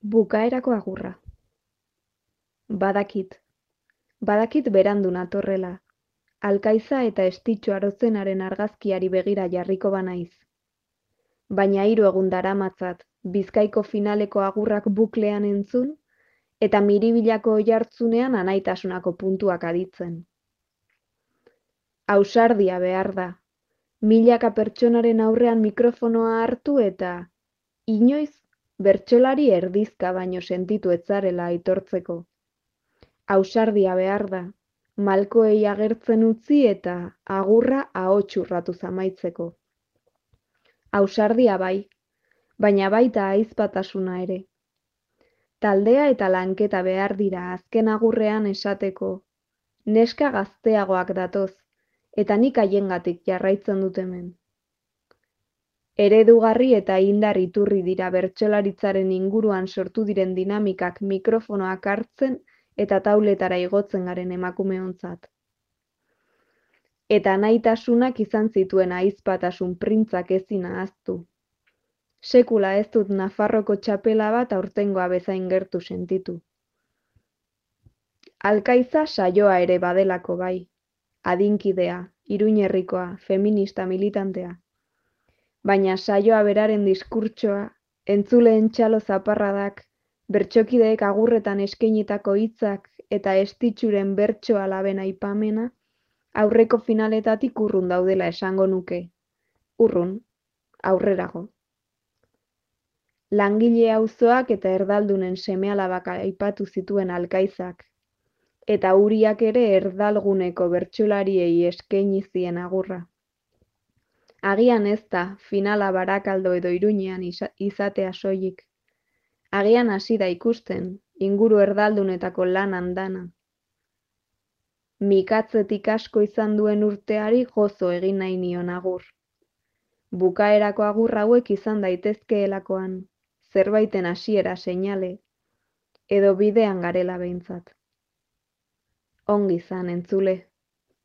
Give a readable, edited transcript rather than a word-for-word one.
Bukaerako agurra. Badakit berandu natorrela, alkaiza eta estitxu arozenaren argazkiari begira jarriko banaiz. Baina 3 egun daramatzat Bizkaiko finaleko agurrak buklean entzun, eta Miribilako oihartzunean anaitasunako puntuak aditzen. Ausardia behar da, milaka pertsonaren aurrean mikrofonoa hartu eta inoiz bertsolari erdizka baino sentitu ez zarela aitortzeko. Ausardia behar da, malkoei agertzen utzi eta agurra ahots urratuz amaitzeko. Ausardia bai, baina baita ahizpatasuna ere. Taldea eta lanketa behar dira azken agurrean esateko, neska gazteagoak datoz, eta nik haiengatik jarraitzen dut hemen. Eredugarri eta indar iturri dira bertsolaritzaren inguruan sortu diren dinamikak mikrofonoak hartzen eta tauletara igotzen garen emakumeontzat. Eta nahitasunak izan zituen ahizpatasun printzak ezin ahaztu. Sekula ez dut Nafarroko txapela bat aurtengoa bezain gertu sentitu. Alkaiza saioa ere badelako bai, adinkidea, iruñerrikoa, feminista militantea. Baina saioa beraren diskurtsoa, entzuleen txalo zaparradak, bertsokideek agurretan eskainitako hitzak eta estitxuren bertso alaben aipamena, aurreko finaletatik urrun daudela esango nuke. Urrun, aurrerago. Langile auzoak eta erdaldunen seme-alabak aipatu zituen alkaizak, eta Uriak ere erdalguneko bertsolariei eskaini zien agurra. Agian ez da finala Barakaldo edo Iruñean izatea soilik. Agian hasi da ikusten, inguru erdaldunetako lan andana. Mikatzetik asko izan duen urteari gozo egin nahi nion agur. Bukaerako agur hauek izan daitezkeelakoan, zerbaiten hasiera seinale, edo bidean garela behintzat. Ongi izan entzule.